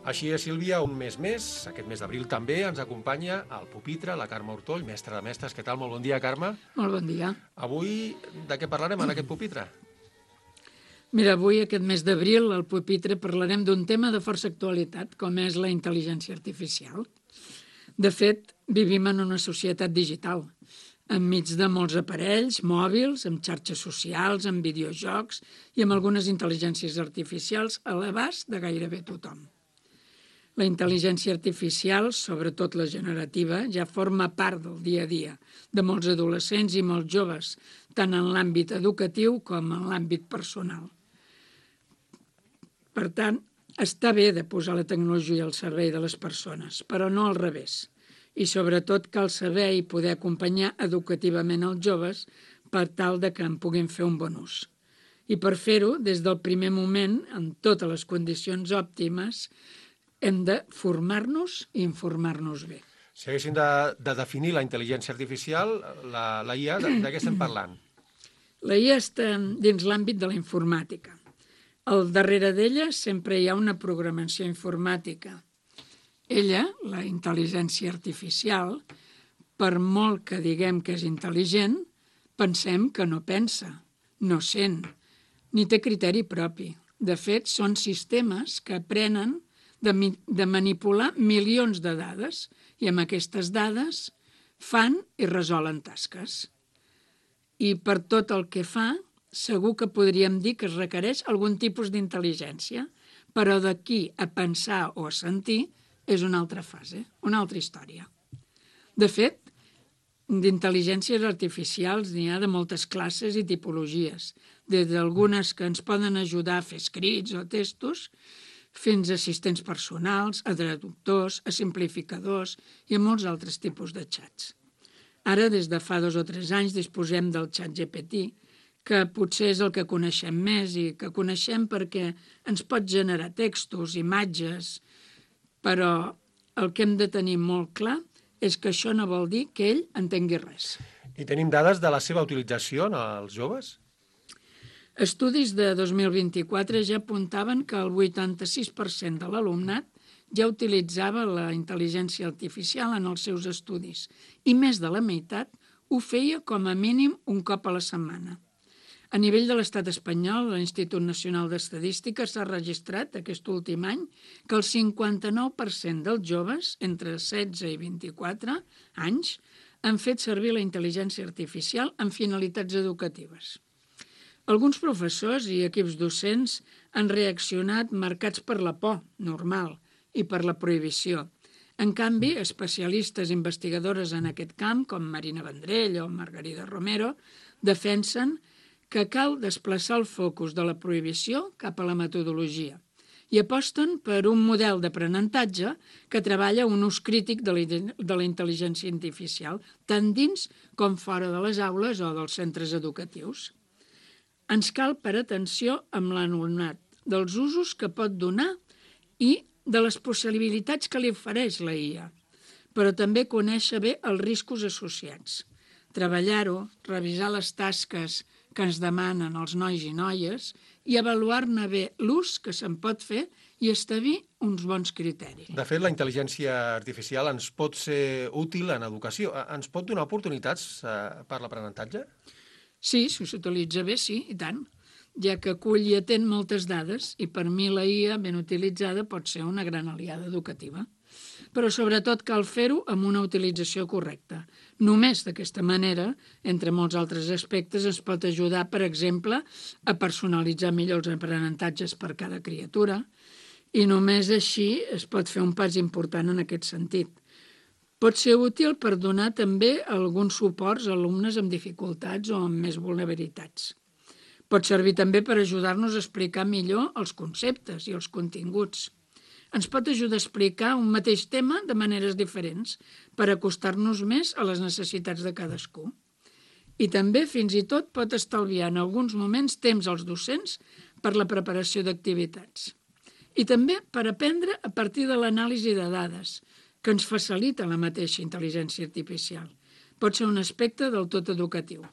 Així és, Sílvia, un mes més, aquest mes d'abril també, ens acompanya el Pupitre, la Carme Ortoll, mestra de mestres. Què tal? Molt bon dia, Carme. Molt bon dia. Avui, de què parlarem en aquest Pupitre? Mira, avui, aquest mes d'abril, al Pupitre parlarem d'un tema de força actualitat, com és la intel·ligència artificial. De fet, vivim en una societat digital, enmig de molts aparells, mòbils, amb xarxes socials, amb videojocs i amb algunes intel·ligències artificials a l'abast de gairebé tothom. La intel·ligència artificial, sobretot la generativa, ja forma part del dia a dia de molts adolescents i molts joves, tant en l'àmbit educatiu com en l'àmbit personal. Per tant, està bé de posar la tecnologia al servei de les persones, però no al revés. i sobretot cal saber i poder acompanyar educativament els joves per tal de que en puguin fer un bon ús. I per fer-ho, des del primer moment, en totes les condicions òptimes, hem de formar-nos i informar-nos bé. Si haguéssim de, de definir la intel·ligència artificial, la, la I A, de, de què estem parlant? La I A està dins l'àmbit de la informàtica. Al darrere d'ella sempre hi ha una programació informàtica. Ella, la intel·ligència artificial, per molt que diguem que és intel·ligent, pensem que no pensa, no sent, ni té criteri propi. De fet, són sistemes que aprenen de, de manipular milions de dades i amb aquestes dades fan i resolen tasques. I per tot el que fa, segur que podríem dir que es requereix algun tipus d'intel·ligència, però d'aquí a pensar o a sentir és una altra fase, una altra història. De fet, d'intel·ligències artificials n'hi ha de moltes classes i tipologies, des d'algunes que ens poden ajudar a fer escrits o textos, fins a assistents personals, a traductors, a simplificadors i a molts altres tipus de xats. Ara, des de fa dos o tres anys, disposem del xat G P T, que potser és el que coneixem més i que coneixem perquè ens pot generar textos, imatges, però el que hem de tenir molt clar és que això no vol dir que ell entengui res. I tenim dades de la seva utilització en els joves? Estudis de dos mil vint-i-quatre ja apuntaven que el vuitanta-sis per cent de l'alumnat ja utilitzava la intel·ligència artificial en els seus estudis i més de la meitat ho feia com a mínim un cop a la setmana. A nivell de l'estat espanyol, l'Institut Nacional d'Estadística s'ha registrat aquest últim any que el cinquanta-nou per cent dels joves entre setze i vint-i-quatre anys han fet servir la intel·ligència artificial en finalitats educatives. Alguns professors i equips docents han reaccionat marcats per la por, normal, i per la prohibició. En canvi, especialistes investigadores en aquest camp, com Marina Vendrell o Margarida Romero, defensen que cal desplaçar el focus de la prohibició cap a la metodologia i aposten per un model d'aprenentatge que treballa un ús crític de la intel·ligència artificial, tant dins com fora de les aules o dels centres educatius. Ens cal per atenció amb l'alumnat dels usos que pot donar i de les possibilitats que li ofereix la I A, però també conèixer bé els riscos associats. Treballar-ho, revisar les tasques que ens demanen els nois i noies i avaluar-ne bé l'ús que se'n pot fer i establir uns bons criteris. De fet, la intel·ligència artificial ens pot ser útil en educació. Ens pot donar oportunitats per l'aprenentatge? Sí, si s'utilitza bé, sí, i tant, ja que acull i atén moltes dades i per mi la I A ben utilitzada pot ser una gran aliada educativa. Però sobretot cal fer-ho amb una utilització correcta. Només d'aquesta manera, entre molts altres aspectes, es pot ajudar, per exemple, a personalitzar millor els aprenentatges per cada criatura i només així es pot fer un pas important en aquest sentit. Pot ser útil per donar també alguns suports a alumnes amb dificultats o amb més vulnerabilitats. Pot servir també per ajudar-nos a explicar millor els conceptes i els continguts. Ens pot ajudar a explicar un mateix tema de maneres diferents per acostar-nos més a les necessitats de cadascú. I també, fins i tot, pot estalviar en alguns moments temps als docents per la preparació d'activitats. I també per aprendre a partir de l'anàlisi de dades, que ens facilita la mateixa intel·ligència artificial. Pot ser un aspecte del tot educatiu.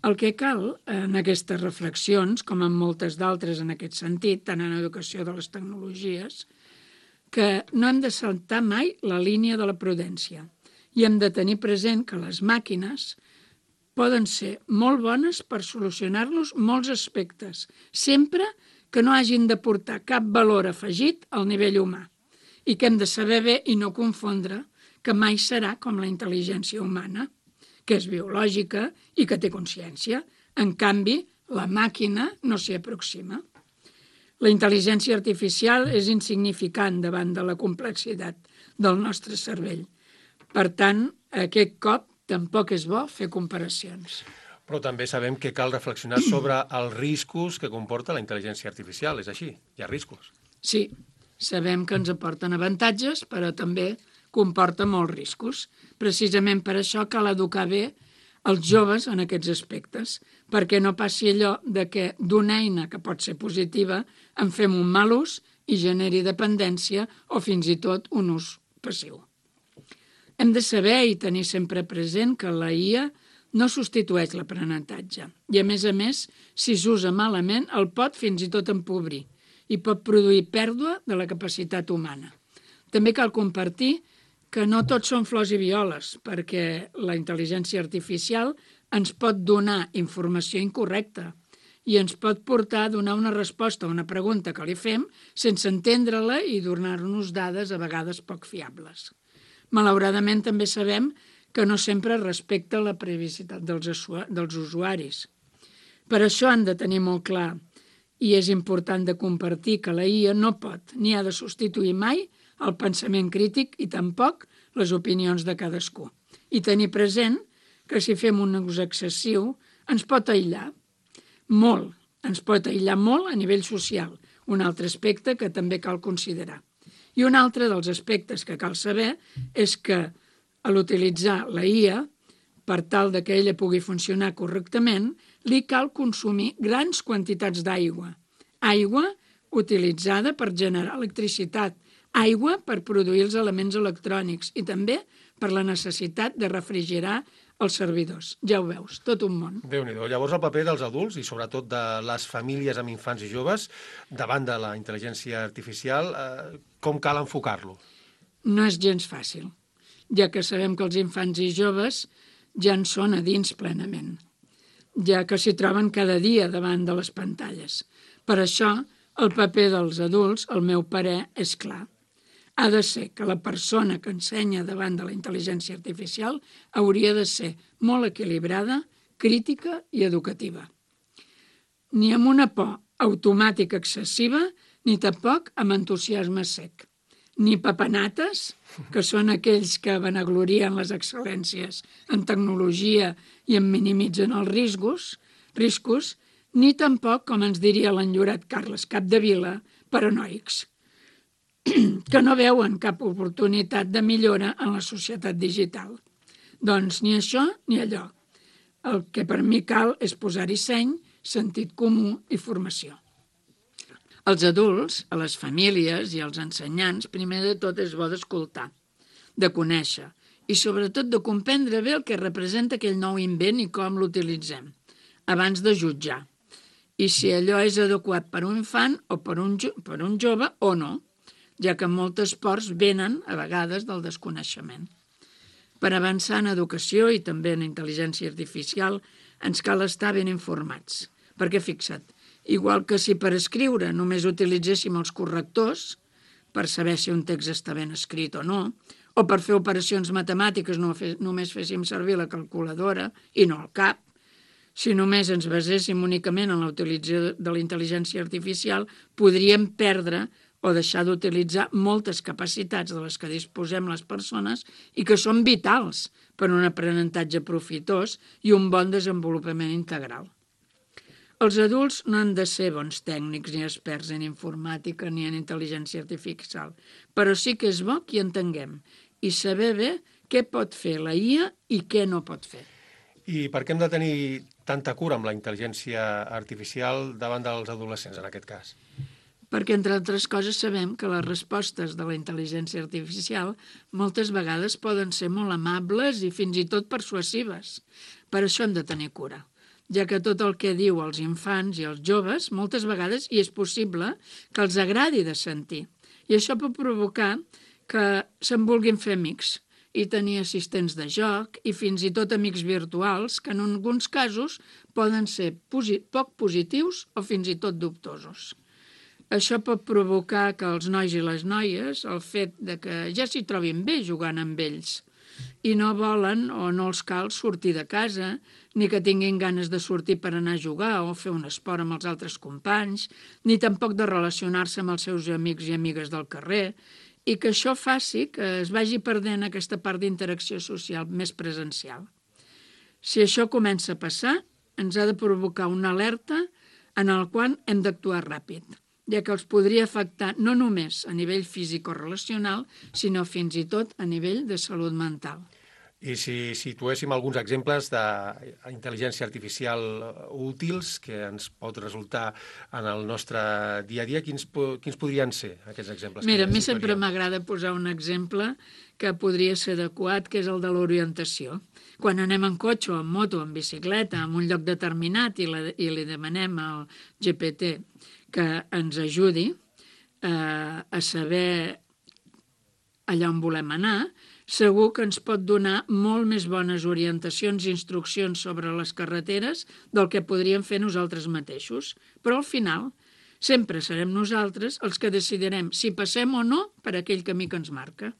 El que cal en aquestes reflexions, com en moltes d'altres en aquest sentit, tant en educació de les tecnologies, que no hem de saltar mai la línia de la prudència i hem de tenir present que les màquines poden ser molt bones per solucionar-nos molts aspectes, sempre que no hagin de portar cap valor afegit al nivell humà i que hem de saber bé i no confondre que mai serà com la intel·ligència humana, que és biològica i que té consciència. En canvi, la màquina no s'hi aproxima. La intel·ligència artificial és insignificant davant de la complexitat del nostre cervell. Per tant, aquest cop tampoc és bo fer comparacions. Però també sabem que cal reflexionar sobre els riscos que comporta la intel·ligència artificial. És així, hi ha riscos. Sí, sabem que ens aporten avantatges, però també comporta molts riscos. Precisament per això cal educar bé els joves en aquests aspectes, perquè no passi allò de que d'una eina que pot ser positiva en fem un mal ús i generi dependència o fins i tot un ús passiu. Hem de saber i tenir sempre present que la I A no substitueix l'aprenentatge i, a més a més, si s'usa malament, el pot fins i tot empobrir i pot produir pèrdua de la capacitat humana. També cal compartir que no tots són flors i violes, perquè la intel·ligència artificial ens pot donar informació incorrecta i ens pot portar a donar una resposta a una pregunta que li fem sense entendre-la i donar-nos dades a vegades poc fiables. Malauradament també sabem que no sempre respecta la privacitat dels usuaris. Per això han de tenir molt clar, i és important de compartir, que la I A no pot ni ha de substituir mai el pensament crític i tampoc les opinions de cadascú. I tenir present que si fem un ús excessiu ens pot aïllar molt, ens pot aïllar molt a nivell social, un altre aspecte que també cal considerar. I un altre dels aspectes que cal saber és que a l'utilitzar la I A, per tal de que ella pugui funcionar correctament, li cal consumir grans quantitats d'aigua. Aigua utilitzada per generar electricitat, aigua per produir els elements electrònics i també per la necessitat de refrigerar els servidors. Ja ho veus, tot un món. Déu-n'hi-do. Llavors el paper dels adults i sobretot de les famílies amb infants i joves davant de la intel·ligència artificial, eh, com cal enfocar-lo? No és gens fàcil, ja que sabem que els infants i joves ja en són a dins plenament, ja que s'hi troben cada dia davant de les pantalles. Per això, el paper dels adults, al meu parer, és clar. Ha de ser que la persona que ensenya davant de la intel·ligència artificial hauria de ser molt equilibrada, crítica i educativa. Ni amb una por automàtica excessiva, ni tampoc amb entusiasme sec. Ni papanates, que són aquells que vanaglorien les excel·lències en tecnologia i en minimitzen els riscos, riscos, ni tampoc, com ens diria l'enllorat Carles Capdevila, paranoics, que no veuen cap oportunitat de millora en la societat digital. Doncs ni això ni allò. El que per mi cal és posar-hi seny, sentit comú i formació. Els adults, a les famílies i als ensenyants, primer de tot és bo d'escoltar, de conèixer i sobretot de comprendre bé el que representa aquell nou invent i com l'utilitzem, abans de jutjar. I si allò és adequat per un infant o per un, jo- per un jove o no, ja que moltes pors venen, a vegades, del desconeixement. Per avançar en educació i també en intel·ligència artificial ens cal estar ben informats, perquè fixa't, igual que si per escriure només utilitzéssim els correctors, per saber si un text està ben escrit o no, o per fer operacions matemàtiques no fe, només féssim servir la calculadora i no el cap, si només ens baséssim únicament en la utilització de la intel·ligència artificial, podríem perdre o deixar d'utilitzar moltes capacitats de les que disposem les persones i que són vitals per a un aprenentatge profitós i un bon desenvolupament integral. Els adults no han de ser bons tècnics ni experts en informàtica ni en intel·ligència artificial, però sí que és bo que hi entenguem i saber bé què pot fer la I A i què no pot fer. I per què hem de tenir tanta cura amb la intel·ligència artificial davant dels adolescents, en aquest cas? Perquè, entre altres coses, sabem que les respostes de la intel·ligència artificial moltes vegades poden ser molt amables i fins i tot persuasives. Per això hem de tenir cura, ja que tot el que diu als infants i als joves moltes vegades hi és possible que els agradi de sentir. I això pot provocar que se'n vulguin fer amics i tenir assistents de joc i fins i tot amics virtuals que en alguns casos poden ser posi- poc positius o fins i tot dubtosos. Això pot provocar que els nois i les noies, el fet de que ja s'hi trobin bé jugant amb ells i no volen o no els cal sortir de casa, ni que tinguin ganes de sortir per anar a jugar o fer un esport amb els altres companys, ni tampoc de relacionar-se amb els seus amics i amigues del carrer, i que això faci que es vagi perdent aquesta part d'interacció social més presencial. Si això comença a passar, ens ha de provocar una alerta en el qual hem d'actuar ràpid. ja que els podria afectar no només a nivell físic o relacional, sinó fins i tot a nivell de salut mental. I si situéssim alguns exemples d'intel·ligència artificial útils que ens pot resultar en el nostre dia a dia, quins, quins podrien ser aquests exemples? Mira, a mi sempre m'agrada posar un exemple que podria ser adequat, que és el de l'orientació. Quan anem en cotxe o en moto, en bicicleta, en un lloc determinat i, la, i li demanem al G P T que ens ajudi eh, a saber allà on volem anar, segur que ens pot donar molt més bones orientacions i instruccions sobre les carreteres del que podríem fer nosaltres mateixos. Però al final sempre serem nosaltres els que decidirem si passem o no per aquell camí que ens marca.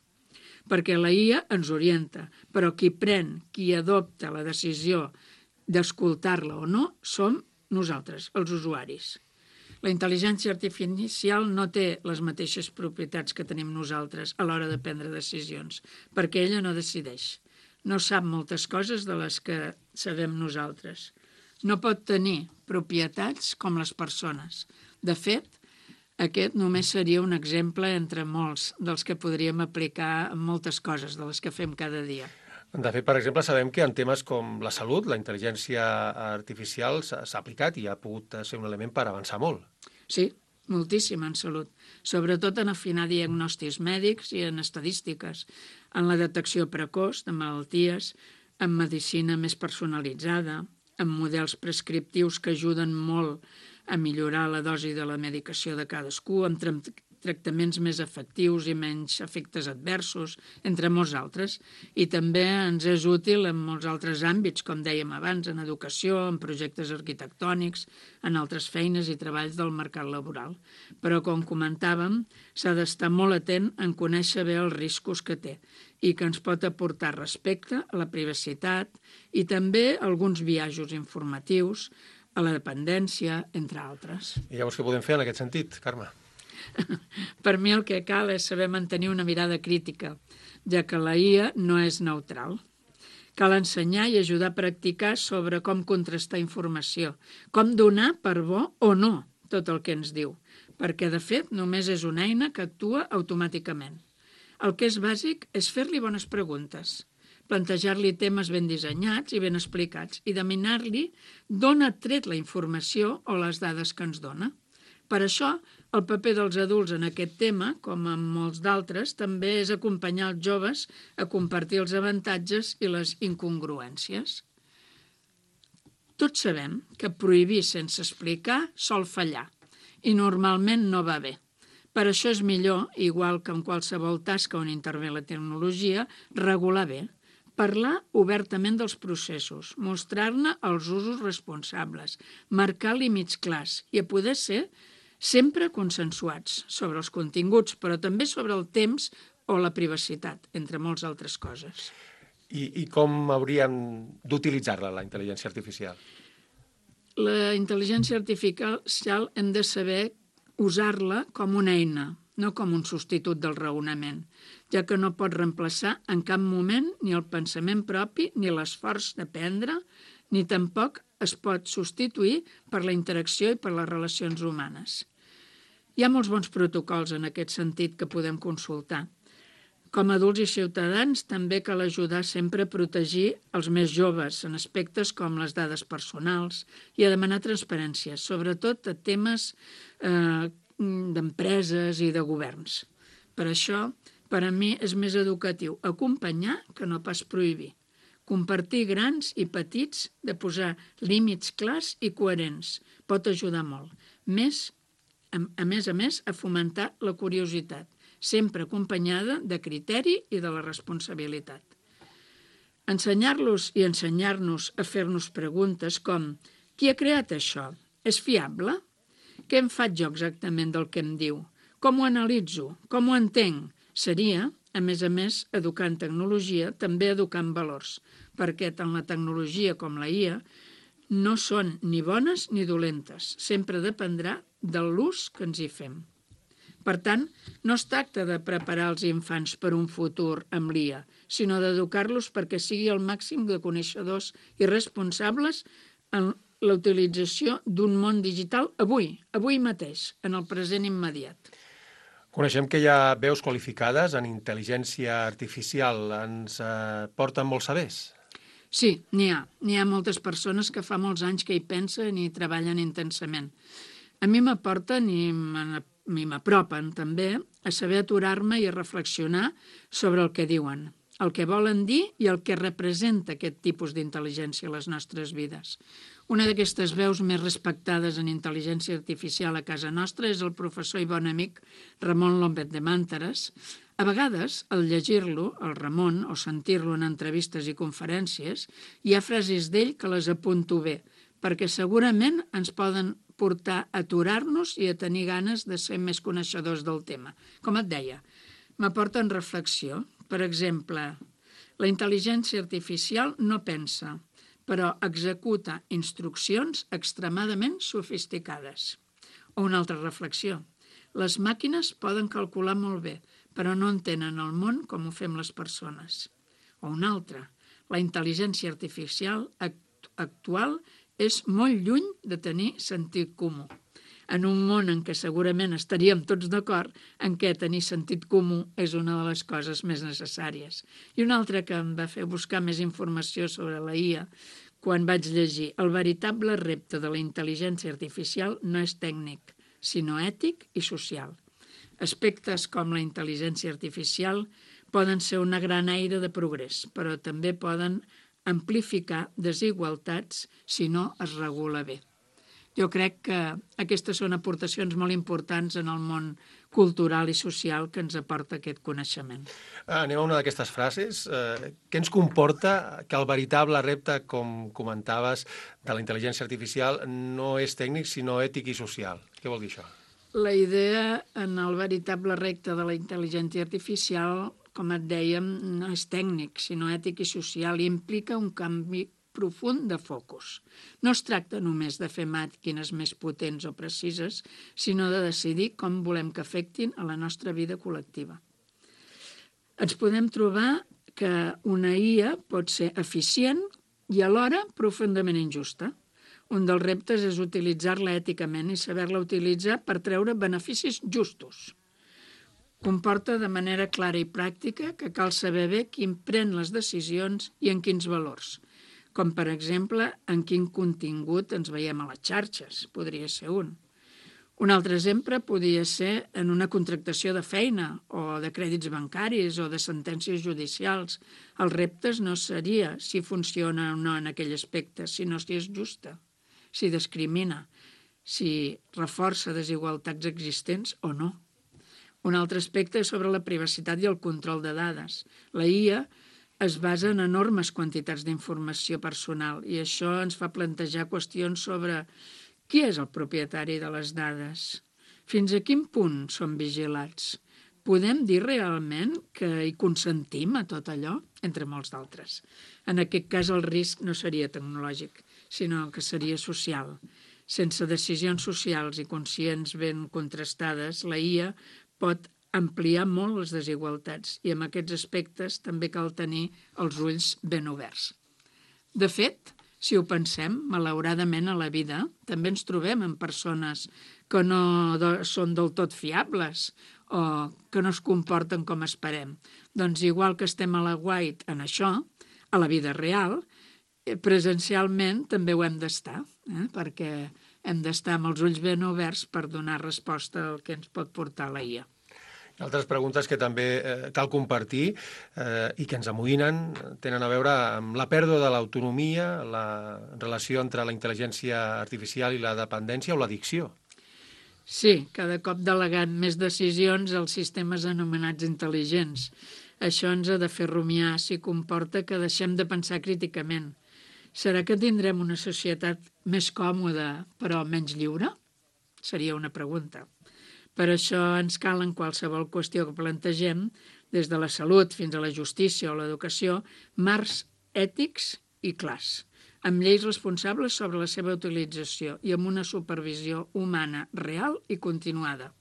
Perquè la I A ens orienta, però qui pren, qui adopta la decisió d'escoltar-la o no, som nosaltres, els usuaris. La intel·ligència artificial no té les mateixes propietats que tenim nosaltres a l'hora de prendre decisions, perquè ella no decideix. No sap moltes coses de les que sabem nosaltres. No pot tenir propietats com les persones. De fet, aquest només seria un exemple entre molts dels que podríem aplicar en moltes coses de les que fem cada dia. De fet, per exemple, sabem que en temes com la salut, la intel·ligència artificial s'ha aplicat i ha pogut ser un element per avançar molt. Sí, moltíssim en salut, sobretot en afinar diagnòstics mèdics i en estadístiques, en la detecció precoç de malalties, en medicina més personalitzada, en models prescriptius que ajuden molt a millorar la dosi de la medicació de cadascú, amb tractaments més efectius i menys efectes adversos, entre molts altres. I també ens és útil en molts altres àmbits, com dèiem abans, en educació, en projectes arquitectònics, en altres feines i treballs del mercat laboral. Però, com comentàvem, s'ha d'estar molt atent en conèixer bé els riscos que té i que ens pot aportar respecte a la privacitat i també alguns biaixos informatius, a la dependència, entre altres. I llavors què podem fer en aquest sentit, Carme? Per mi el que cal és saber mantenir una mirada crítica, ja que la I A no és neutral. Cal ensenyar i ajudar a practicar sobre com contrastar informació, com donar per bo o no tot el que ens diu, perquè, de fet, només és una eina que actua automàticament. El que és bàsic és fer-li bones preguntes, plantejar-li temes ben dissenyats i ben explicats i demanar-li d'on ha tret la informació o les dades que ens dona. Per això, el paper dels adults en aquest tema, com en molts d'altres, també és acompanyar els joves a compartir els avantatges i les incongruències. Tots sabem que prohibir sense explicar sol fallar i normalment no va bé. Per això és millor, igual que en qualsevol tasca on intervé la tecnologia, regular bé. Parlar obertament dels processos, mostrar-ne els usos responsables, marcar límits clars i, a poder ser, sempre consensuats sobre els continguts, però també sobre el temps o la privacitat, entre moltes altres coses. I, i com hauríem d'utilitzar-la, la intel·ligència artificial? La intel·ligència artificial hem de saber usar-la com una eina, no com un substitut del raonament, ja que no pot reemplaçar en cap moment ni el pensament propi ni l'esforç d'aprendre, ni tampoc es pot substituir per la interacció i per les relacions humanes. Hi ha molts bons protocols en aquest sentit que podem consultar. Com a adults i ciutadans també cal ajudar sempre a protegir els més joves en aspectes com les dades personals i a demanar transparència, sobretot a temes eh, d'empreses i de governs. Per això, per a mi és més educatiu acompanyar que no pas prohibir. Compartir grans i petits, de posar límits clars i coherents, pot ajudar molt. Més, a més a més, a fomentar la curiositat, sempre acompanyada de criteri i de la responsabilitat. Ensenyar-los i ensenyar-nos a fer-nos preguntes com: qui ha creat això? És fiable? Què en faig jo exactament del que em diu? Com ho analitzo? Com ho entenc? Seria, a més a més, educar en tecnologia, també educar en valors, perquè tant la tecnologia com la I A no són ni bones ni dolentes, sempre dependrà de l'ús que ens hi fem. Per tant, no es tracta de preparar els infants per un futur amb l'I A, sinó d'educar-los perquè sigui el màxim de coneixedors i responsables en la utilització d'un món digital avui, avui mateix, en el present immediat. Coneixem que hi ha veus qualificades en intel·ligència artificial. Ens eh, porten molts sabers? Sí, n'hi ha. N'hi ha moltes persones que fa molts anys que hi pensen i treballen intensament. A mi m'aporten i m'apropen també a saber aturar-me i a reflexionar sobre el que diuen, el que volen dir i el que representa aquest tipus d'intel·ligència a les nostres vides. Una d'aquestes veus més respectades en intel·ligència artificial a casa nostra és el professor i bon amic Ramon López de Màntares. A vegades, al llegir-lo, el Ramon, o sentir-lo en entrevistes i conferències, hi ha frases d'ell que les apunto bé, perquè segurament ens poden portar a aturar-nos i a tenir ganes de ser més coneixedors del tema. Com et deia, m'aporten reflexió. Per exemple, la intel·ligència artificial no pensa, però executa instruccions extremadament sofisticades. O una altra reflexió. Les màquines poden calcular molt bé, però no entenen el món com ho fem les persones. O una altra. La intel·ligència artificial actual és molt lluny de tenir sentit comú. En un món en què segurament estaríem tots d'acord en què tenir sentit comú és una de les coses més necessàries. I una altra que em va fer buscar més informació sobre la I A quan vaig llegir el veritable repte de la intel·ligència artificial no és tècnic, sinó ètic i social. Aspectes com la intel·ligència artificial poden ser una gran eina de progrés, però també poden amplificar desigualtats si no es regula bé. Jo crec que aquestes són aportacions molt importants en el món cultural i social que ens aporta aquest coneixement. Ah, anem a una d'aquestes frases. Eh, què ens comporta que el veritable repte, com comentaves, de la intel·ligència artificial no és tècnic, sinó ètic i social? Què vol dir això? La idea en el veritable repte de la intel·ligència artificial, com et dèiem, no és tècnic, sinó ètic i social, i implica un canvi profund de focus. No es tracta només de fer màquines més potents o precises, sinó de decidir com volem que afectin a la nostra vida col·lectiva. Ens podem trobar que una I A pot ser eficient i alhora profundament injusta. Un dels reptes és utilitzar-la èticament i saber-la utilitzar per treure beneficis justos. Comporta de manera clara i pràctica que cal saber bé qui pren les decisions i en quins valors, com per exemple en quin contingut ens veiem a les xarxes, podria ser un. Un altre exemple podria ser en una contractació de feina o de crèdits bancaris o de sentències judicials. El repte no seria si funciona o no en aquell aspecte, sinó si és justa, si discrimina, si reforça desigualtats existents o no. Un altre aspecte és sobre la privacitat i el control de dades. La I A es basa en enormes quantitats d'informació personal i això ens fa plantejar qüestions sobre qui és el propietari de les dades, fins a quin punt són vigilats. Podem dir realment que hi consentim a tot allò, entre molts d'altres. En aquest cas el risc no seria tecnològic, sinó que seria social. Sense decisions socials i conscients ben contrastades, la I A pot ampliar molt les desigualtats i en aquests aspectes també cal tenir els ulls ben oberts. De fet, si ho pensem, malauradament a la vida també ens trobem amb persones que no són del tot fiables o que no es comporten com esperem. Doncs igual que estem a la guait en això, a la vida real, presencialment també ho hem d'estar, eh? perquè hem d'estar amb els ulls ben oberts per donar resposta al que ens pot portar la I A. Altres preguntes que també eh, cal compartir eh, i que ens amoïnen tenen a veure amb la pèrdua de l'autonomia, la relació entre la intel·ligència artificial i la dependència o l'addicció. Sí, cada cop delegant més decisions als sistemes anomenats intel·ligents. Això ens ha de fer rumiar si comporta que deixem de pensar críticament. Serà que tindrem una societat més còmoda però menys lliure? Seria una pregunta. Per això ens cal en qualsevol qüestió que plantegem, des de la salut fins a la justícia o l'educació, marcs ètics i clars, amb lleis responsables sobre la seva utilització i amb una supervisió humana real i continuada.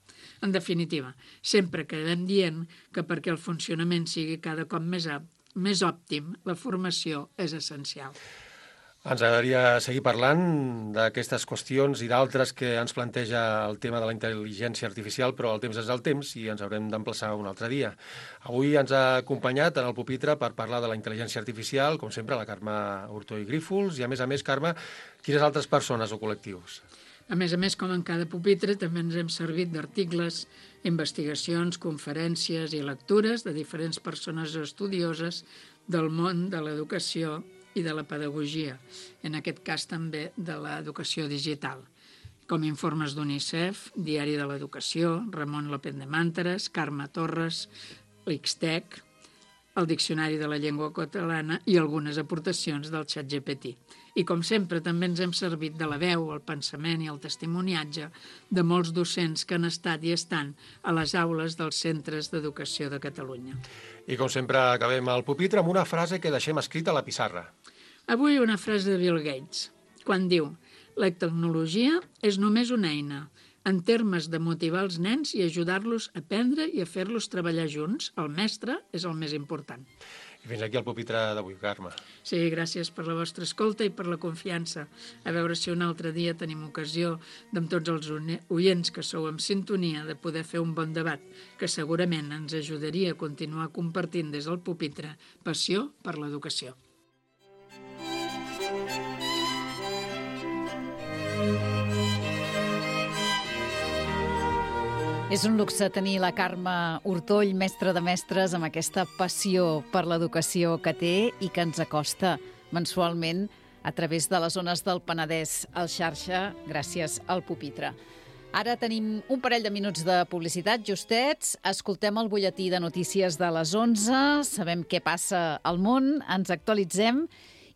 En definitiva, sempre quedem dient que perquè el funcionament sigui cada cop més, més òptim, la formació és essencial. Ens agradaria seguir parlant d'aquestes qüestions i d'altres que ens planteja el tema de la intel·ligència artificial, però el temps és el temps i ens haurem d'emplaçar un altre dia. Avui ens ha acompanyat en el pupitre per parlar de la intel·ligència artificial, com sempre, la Carme Hurtó i Grífols, i a més a més, Carme, quines altres persones o col·lectius? A més a més, com en cada pupitre, també ens hem servit d'articles, investigacions, conferències i lectures de diferents persones estudioses del món de l'educació i de la pedagogia, en aquest cas també de l'educació digital, com informes d'UNICEF, Diari de l'Educació, Ramon López de Mànteres, Carme Torres, l'Ixtec, el Diccionari de la Llengua Catalana i algunes aportacions del ChatGPT. I com sempre també ens hem servit de la veu, el pensament i el testimoniatge de molts docents que han estat i estan a les aules dels centres d'educació de Catalunya. I com sempre acabem el pupitre amb una frase que deixem escrita a la pissarra. Avui una frase de Bill Gates, quan diu: la tecnologia és només una eina, en termes de motivar els nens i ajudar-los a aprendre i a fer-los treballar junts. El mestre és el més important. I fins aquí el pupitre d'avui, Carme. Sí, gràcies per la vostra escolta i per la confiança. A veure si un altre dia tenim ocasió, amb tots els oients que sou en sintonia, de poder fer un bon debat, que segurament ens ajudaria a continuar compartint des del pupitre passió per l'educació. És un luxe tenir la Carme Hurtoll, mestra de mestres, amb aquesta passió per l'educació que té i que ens acosta mensualment a través de les zones del Penedès al xarxa, gràcies al pupitre. Ara tenim un parell de minuts de publicitat justets, escoltem el butlletí de notícies de les onze, sabem què passa al món, ens actualitzem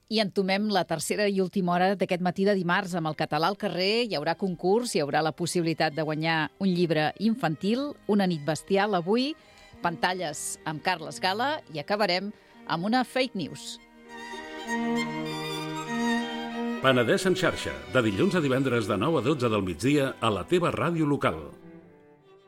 i entomem la tercera i última hora d'aquest matí de dimarts amb el català al carrer. Hi haurà concurs, hi haurà la possibilitat de guanyar un llibre infantil, Una nit bestial avui, pantalles amb Carles Gala i acabarem amb una fake news. Penedès en xarxa, de dilluns a divendres de nou a dotze del migdia a la teva ràdio local.